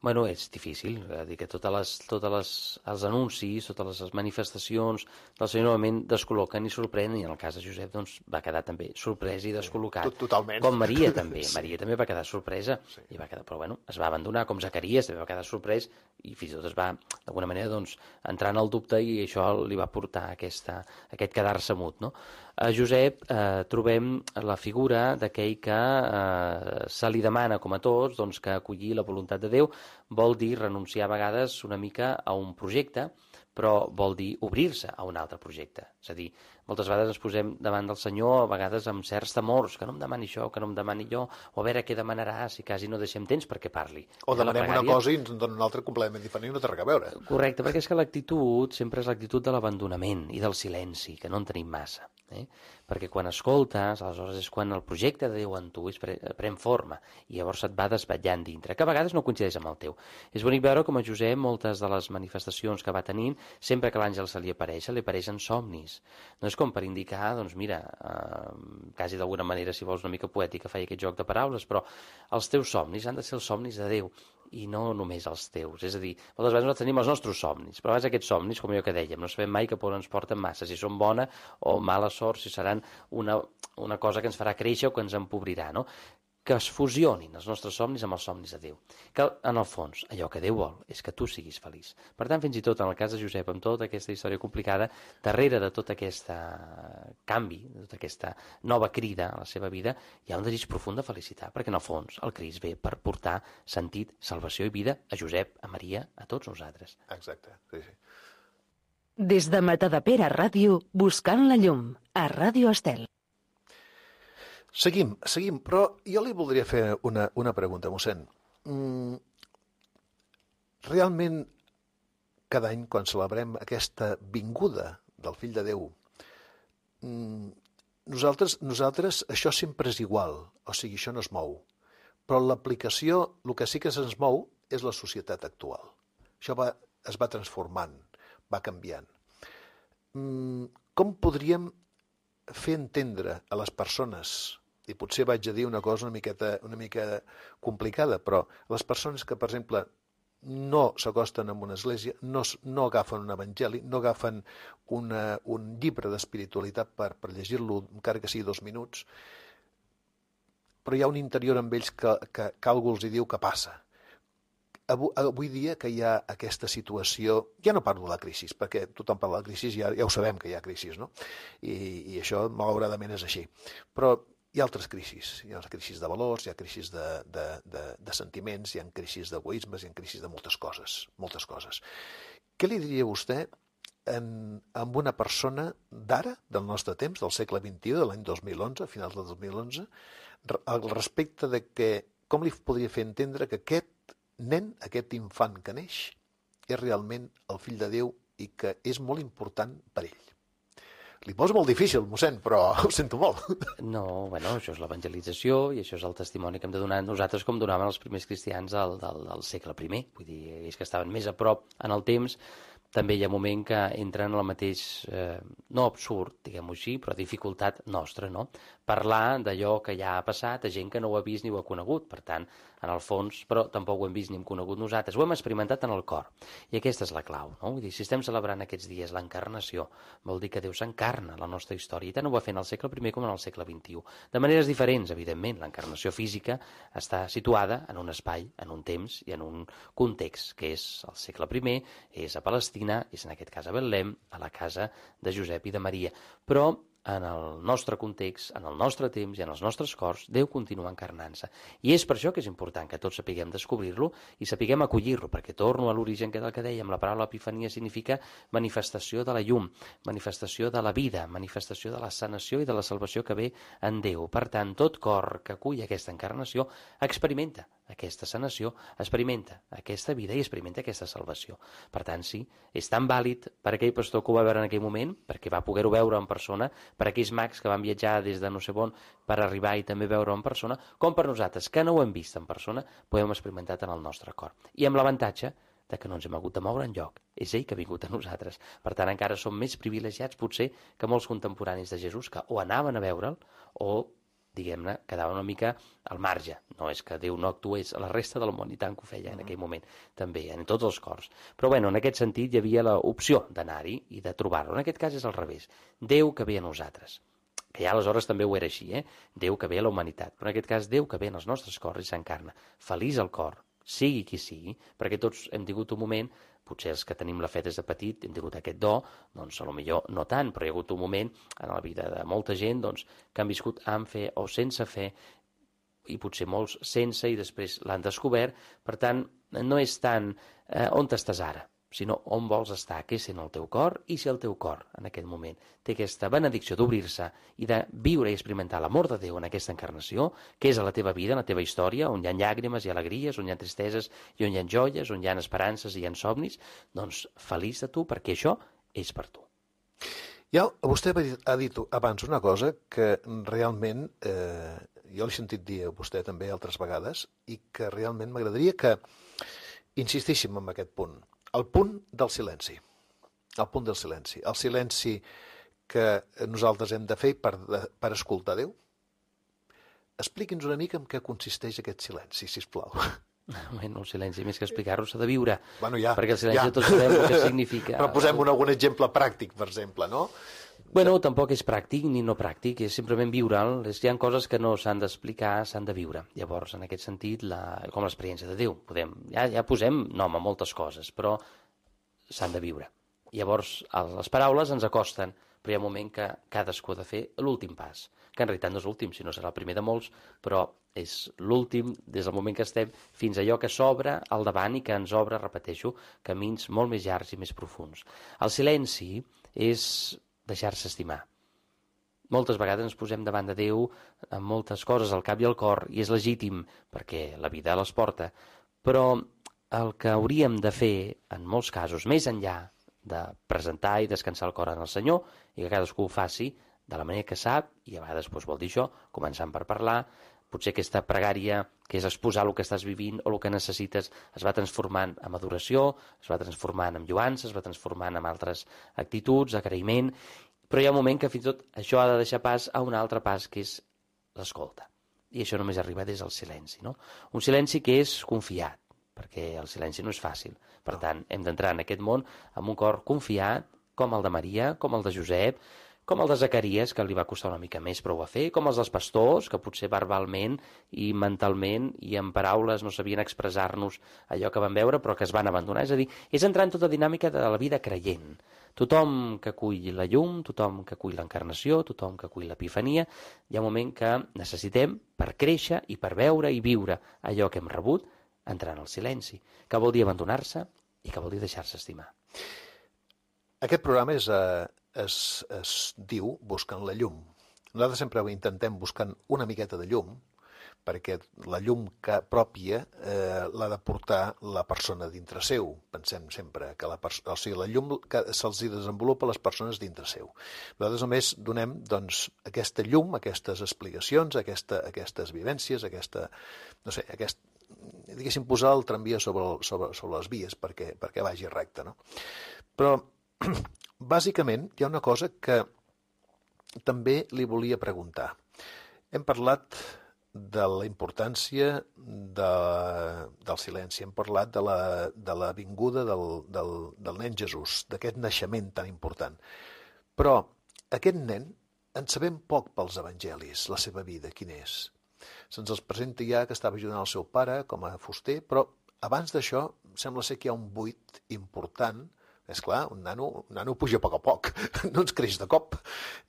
Speaker 6: Bueno, és difícil, dir que els anuncis, totes les manifestacions del Senyor novament descol·loquen i sorprenen, i en el cas de Josep doncs, va quedar també sorprès i descol·locat.
Speaker 2: Totalment.
Speaker 6: Com Maria també. Maria també va quedar sorpresa, i va quedar, però bueno, es va abandonar, com Zacaries també va quedar sorprès, i fins i tot es va, d'alguna manera, doncs, entrar en el dubte, i això li va portar aquest quedar-se mut, no? A Josep trobem la figura d'aquell que se li demana, com a tots, doncs, que acollir la voluntat de Déu vol dir renunciar a vegades una mica a un projecte, però vol dir obrir-se a un altre projecte. És a dir, moltes vegades ens posem davant del Senyor, a vegades amb certs temors, que no em demani això, que no em demani allò, o a veure què demanarà, si quasi no deixem temps perquè parli.
Speaker 2: O demanem una cosa i ens dona una altra completament diferent i no té res a veure.
Speaker 6: Correcte, perquè és que l'actitud sempre és l'actitud de l'abandonament i del silenci, que no en tenim massa. Perquè quan escoltes, aleshores és quan el projecte de Déu en tu pren forma i llavors et va desvetllant dintre, que a vegades no coincideix amb el teu. És bonic veure com a Josep moltes de les manifestacions que va tenint, sempre que l'àngel se li apareixen somnis. No és com per indicar, doncs mira, quasi d'alguna manera, si vols una mica poètica, feia aquest joc de paraules, però els teus somnis han de ser els somnis de Déu, i no només els teus. És a dir, moltes vegades nosaltres tenim els nostres somnis, però a vegades aquests somnis, com allò que dèiem, no sabem mai cap on ens porten massa, si són bona o mala sort, si seran una cosa que ens farà créixer o que ens empobrirà, no? Que es fusionin els nostres somnis amb els somnis de Déu. Que, en el fons, allò que Déu vol és que tu siguis feliç. Per tant, fins i tot en el cas de Josep, amb tota aquesta història complicada, darrere de tot aquest canvi, de tota aquesta nova crida a la seva vida, hi ha un desig profund de felicitat, perquè en el fons el Crist ve per portar sentit, salvació i vida a Josep, a Maria, a tots nosaltres.
Speaker 2: Exacte, sí.
Speaker 7: Des de Matadepera Ràdio, buscant la llum, a Ràdio Estel.
Speaker 2: Seguim, però jo li voldria fer una pregunta, mossèn. Realment, cada any, quan celebrem aquesta vinguda del Fill de Déu, nosaltres això sempre és igual, o sigui, això no es mou. Però l'aplicació, el que sí que se'ns mou, és la societat actual. Això es va transformant, va canviant. Com podríem fer entendre a les persones, i potser vaig a dir una cosa una mica complicada, però les persones que, per exemple, no s'acosten a una església, no agafen un evangeli, no agafen un llibre d'espiritualitat per llegir-lo, encara que sigui 2 minuts, però hi ha un interior amb ells que algú els diu que passa. Avui dia que hi ha aquesta situació, ja no parlo de la crisi, perquè tothom parla de la crisi, ja ho sabem que hi ha crisi, no? I això malauradament és així. Però hi ha altres crisis. Hi ha crisis de valors, hi ha crisis de sentiments, hi ha crisis d'egoismes, hi ha crisis de moltes coses. Què li diria vostè amb una persona d'ara, del nostre temps, del segle XXI, de l'any 2011, a finals del 2011, al respecte de que com li podria fer entendre que aquest nen, aquest infant que neix, és realment el fill de Déu i que és molt important per ell? Li poso molt difícil, mossèn, però ho sento molt.
Speaker 6: No, bueno, això és l'evangelització i això és el testimoni que hem de donar nosaltres com donaven els primers cristians del segle I. Vull dir, ells que estaven més a prop en el temps, també hi ha un moment que entren en el mateix, no absurd, diguem-ho així, però dificultat nostra, no? Parlar d'allò que ja ha passat a gent que no ho ha vist ni ho ha conegut. Per tant, en el fons, però tampoc ho hem vist ni hem conegut nosaltres. Ho hem experimentat en el cor. I aquesta és la clau, no? Vull dir, si estem celebrant aquests dies l'encarnació, vol dir que Déu s'encarna a la nostra història. I tant ho va fer en el segle I com en el segle XXI. De maneres diferents, evidentment. L'encarnació física està situada en un espai, en un temps i en un context, que és el segle I, és a Palestina, és en aquest cas a Betlem, a la casa de Josep i de Maria. Però en el nostre context, en el nostre temps i en els nostres cors, Déu continua encarnant-se. I és per això que és important que tots sapiguem descobrir-lo i sapiguem acollir-lo, perquè torno a l'origen del que dèiem, la paraula epifania significa manifestació de la llum, manifestació de la vida, manifestació de la sanació i de la salvació que ve en Déu. Per tant, tot cor que acull aquesta encarnació experimenta aquesta sanació, experimenta aquesta vida i experimenta aquesta salvació. Per tant, sí, és tan vàlid per aquell pastor que ho va veure en aquell moment, perquè va poder-ho veure en persona, per aquells mags que van viatjar des de no sé on per arribar i també veure-ho en persona, com per nosaltres, que no ho hem vist en persona, podem experimentar en el nostre cor. I amb l'avantatge de que no ens hem hagut de moure enlloc. És ell que ha vingut a nosaltres. Per tant, encara som més privilegiats, potser, que molts contemporanis de Jesús, que o anaven a veure'l o, diguem-ne, quedaven una mica al marge. No és que Déu no actués a la resta del món, i tant que ho feia en aquell moment, també, en tots els cors. Però, bueno, en aquest sentit hi havia l'opció d'anar-hi i de trobar-lo. En aquest cas és al revés. Déu que ve a nosaltres. Que ja aleshores també ho era així, Déu que ve a la humanitat. Però en aquest cas, Déu que ve en els nostres cors i s'encarna. Feliç el cor, sigui qui sigui, perquè tots hem tingut un moment, potser els que tenim la fe des de petit hem tingut aquest do, doncs a lo millor no tant, però hi ha hagut un moment en la vida de molta gent doncs, que han viscut amb fe o sense fe, i potser molts sense i després l'han descobert. Per tant, no és tant on estàs ara, sinó on vols estar, què sent el teu cor, i si el teu cor en aquest moment té aquesta benedicció d'obrir-se i de viure i experimentar l'amor de Déu en aquesta encarnació, que és a la teva vida, en la teva història, on hi ha llàgrimes i alegries, on hi ha tristeses i on hi ha joies, on hi ha esperances i hi ha somnis, doncs feliç de tu, perquè això és per tu.
Speaker 2: Ja, vostè ha dit abans una cosa que realment jo l'he sentit dir a vostè també altres vegades i que realment m'agradaria que insistíssim en aquest punt. El punt del silenci. El punt del silenci. El silenci que nosaltres hem de fer per escoltar Déu. Expliqui'ns una mica en què consisteix aquest silenci, sisplau.
Speaker 6: Bueno, el silenci, més que explicar-ho, s'ha de viure.
Speaker 2: Bueno, ja.
Speaker 6: Perquè el silenci tots sabem el que significa.
Speaker 2: Però posem algun exemple pràctic, per exemple, no?
Speaker 6: Bueno, tampoc és pràctic ni no pràctic, és simplement viure'l. Hi ha coses que no s'han d'explicar, s'han de viure. Llavors, en aquest sentit, com l'experiència de Déu. Ja posem nom a moltes coses, però s'han de viure. Llavors, les paraules ens acosten, però hi ha un moment que cadascú ha de fer l'últim pas, que en realitat no és l'últim, sinó serà el primer de molts, però és l'últim des del moment que estem fins a allò que s'obre al davant i que ens obre, repeteixo, camins molt més llargs i més profunds. El silenci és deixar-se estimar. Moltes vegades ens posem davant de Déu amb moltes coses al cap i al cor, i és legítim, perquè la vida les porta, però el que hauríem de fer, en molts casos, més enllà de presentar i descansar el cor en el Senyor, i que cadascú ho faci de la manera que sap, i a vegades vol dir això, començant per parlar, potser aquesta pregària, que és exposar el que estàs vivint o el que necessites, es va transformant en adoració, es va transformant en lluança, es va transformant en altres actituds, agraïment, però hi ha un moment que fins i tot això ha de deixar pas a un altre pas, que és l'escolta. I això només arriba des del silenci, no? Un silenci que és confiat, perquè el silenci no és fàcil. Per tant, hem d'entrar en aquest món amb un cor confiat, com el de Maria, com el de Josep, com el de Zacaries, que li va costar una mica més, però ho va fer, com els dels pastors, que potser verbalment i mentalment i en paraules no sabien expressar-nos allò que van veure, però que es van abandonar. És a dir, és entrar en tota dinàmica de la vida creient. Tothom que acull la llum, tothom que acull l'encarnació, tothom que acull l'epifania, hi ha un moment que necessitem, per créixer i per veure i viure allò que hem rebut, entrar en el silenci, que vol dir abandonar-se i que vol dir deixar-se estimar.
Speaker 2: Aquest programa es diu Buscant la llum. Nosaltres sempre intentem buscant una miqueta de llum, perquè la llum pròpia l'ha de portar la persona dintre seu. Pensem sempre que la llum que se'ls desenvolupa a les persones dintre seu. Nosaltres només donem aquesta llum, aquestes explicacions, aquestes vivències, diguéssim, posar el tramvia sobre les vies perquè vagi recte, no? Però bàsicament hi ha una cosa que també li volia preguntar. Hem parlat de la importància del silenci, hem parlat de la vinguda del nen Jesús, d'aquest naixement tan important. Però aquest nen en sabem poc pels evangelis, la seva vida, quin és. Se'ns els presenta ja que estava ajudant el seu pare com a fuster, però abans d'això sembla ser que hi ha un buit important. És clar, un nano puja a poc, no ens creix de cop.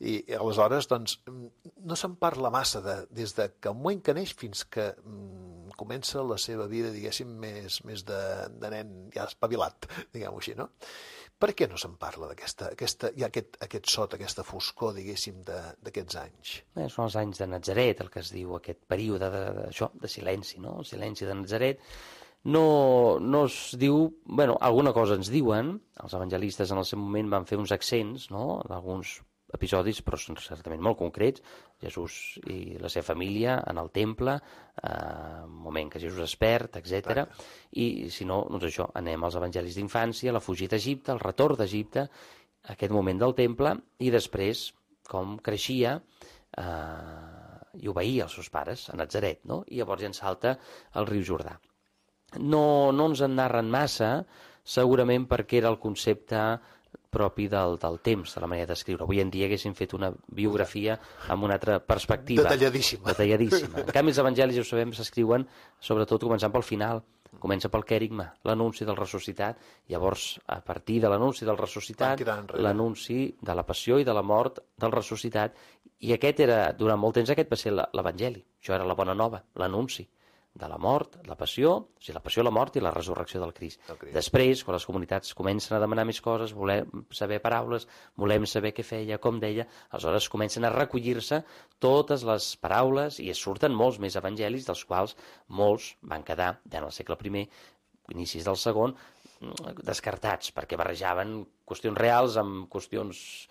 Speaker 2: I aleshores, no se'n parla massa des que el moment que neix fins que comença la seva vida, diguéssim, més de nen ja espavilat, diguem-ho així, no? Per què no se'n parla aquest sot, aquesta foscor, diguéssim, d'aquests anys?
Speaker 6: Són els anys de Natzaret, el que es diu aquest període de silenci, no? El silenci de Natzaret. No es diu... alguna cosa ens diuen, els evangelistes en el seu moment van fer uns accents, no?, d'alguns episodis, però són certament molt concrets. Jesús i la seva família en el temple, un moment que Jesús es perd, etc. I si no, doncs això, anem als evangelis d'infància, la fugida d'Egipte, el retorn d'Egipte, aquest moment del temple, i després com creixia i obeïa els seus pares a Natzaret, no? I llavors ja en salta al riu Jordà. No ens en narren massa, segurament perquè era el concepte propi del temps, de la manera d'escriure. Avui en dia haguéssim fet una biografia amb una altra perspectiva.
Speaker 2: Detalladíssima.
Speaker 6: En canvi, els evangelis, ja ho sabem, s'escriuen sobretot començant pel final. Comença pel quèrigma, l'anunci del ressuscitat. Llavors, a partir de l'anunci del ressuscitat, l'anunci de la passió i de la mort del ressuscitat. I aquest era, durant molt temps, aquest va ser l'evangeli. Això era la bona nova, l'anunci de la mort, la passió, o sigui, la passió, la mort i la resurrecció del Crist. Després, quan les comunitats comencen a demanar més coses, volem saber paraules, volem saber què feia, com deia, aleshores comencen a recollir-se totes les paraules i surten molts més evangelis, dels quals molts van quedar, ja en el segle I, inicis del segon, descartats, perquè barrejaven qüestions reals amb qüestions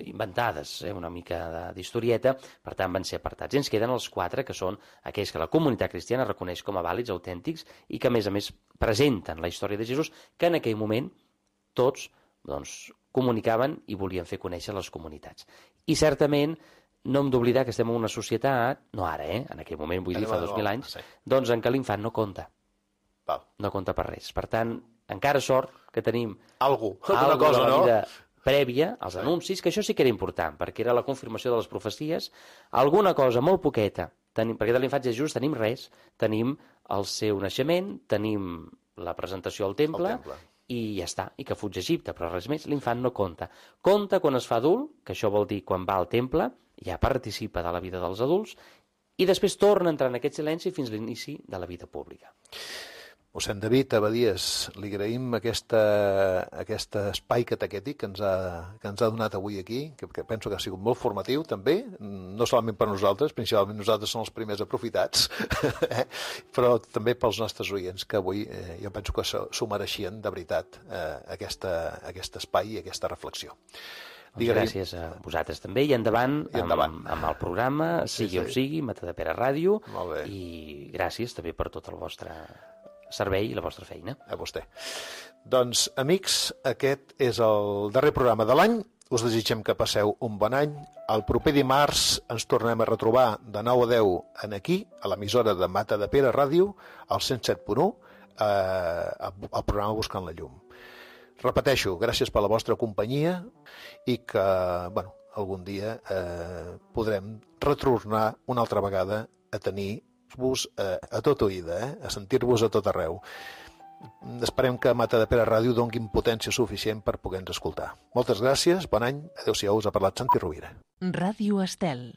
Speaker 6: inventades, una mica d'historieta, per tant van ser apartats. I ens queden els 4, que són aquells que la comunitat cristiana reconeix com a vàlids, autèntics, i que a més presenten la història de Jesús, que en aquell moment tots comunicaven i volien fer conèixer les comunitats. I certament no hem d'oblidar que estem en una societat, no ara, en aquell moment, vull dir, fa 2000 anys, doncs en què l'infant no compta. No compta per res. Per tant, encara sort que tenim alguna cosa, no?, vida prèvia als anuncis, que això sí que era important, perquè era la confirmació de les profecies, alguna cosa molt poqueta, perquè de l'infant Jesús tenim res, tenim el seu naixement, tenim la presentació al temple, i ja està, i que fuig a Egipte, però res més, l'infant no compta. Compta quan es fa adult, que això vol dir quan va al temple, ja participa de la vida dels adults, i després torna a entrar en aquest silenci fins a l'inici de la vida pública.
Speaker 2: Mossèn David Abadies, li agraïm aquest espai catequètic que ens ha donat avui aquí, que penso que ha sigut molt formatiu també, no solament per nosaltres, principalment nosaltres som els primers aprofitats, però també pels nostres oients, que avui jo penso que s'ho mereixien de veritat aquest espai i aquesta reflexió.
Speaker 6: Gràcies a vosaltres també, i endavant amb el programa, sigui on sigui, Matadepera Ràdio, i gràcies també per tot el vostre servei i la vostra feina.
Speaker 2: A vostè. Doncs, amics, aquest és el darrer programa de l'any. Us desitgem que passeu un bon any. El proper dimarts ens tornem a retrobar de 9 a 10 aquí, a l'emissora de Matadepera Ràdio, al 107.1, al programa Buscant la Llum. Repeteixo, gràcies per la vostra companyia i que, algun dia podrem retornar una altra vegada a tenir-vos a tot oïda, a sentir-vos a tot arreu. Esperem que Matadepera Ràdio donguin potència suficient per poder-nos escoltar. Moltes gràcies, bon any, adéu-siau, us ha parlat Santi Rovira.
Speaker 7: Ràdio Estel.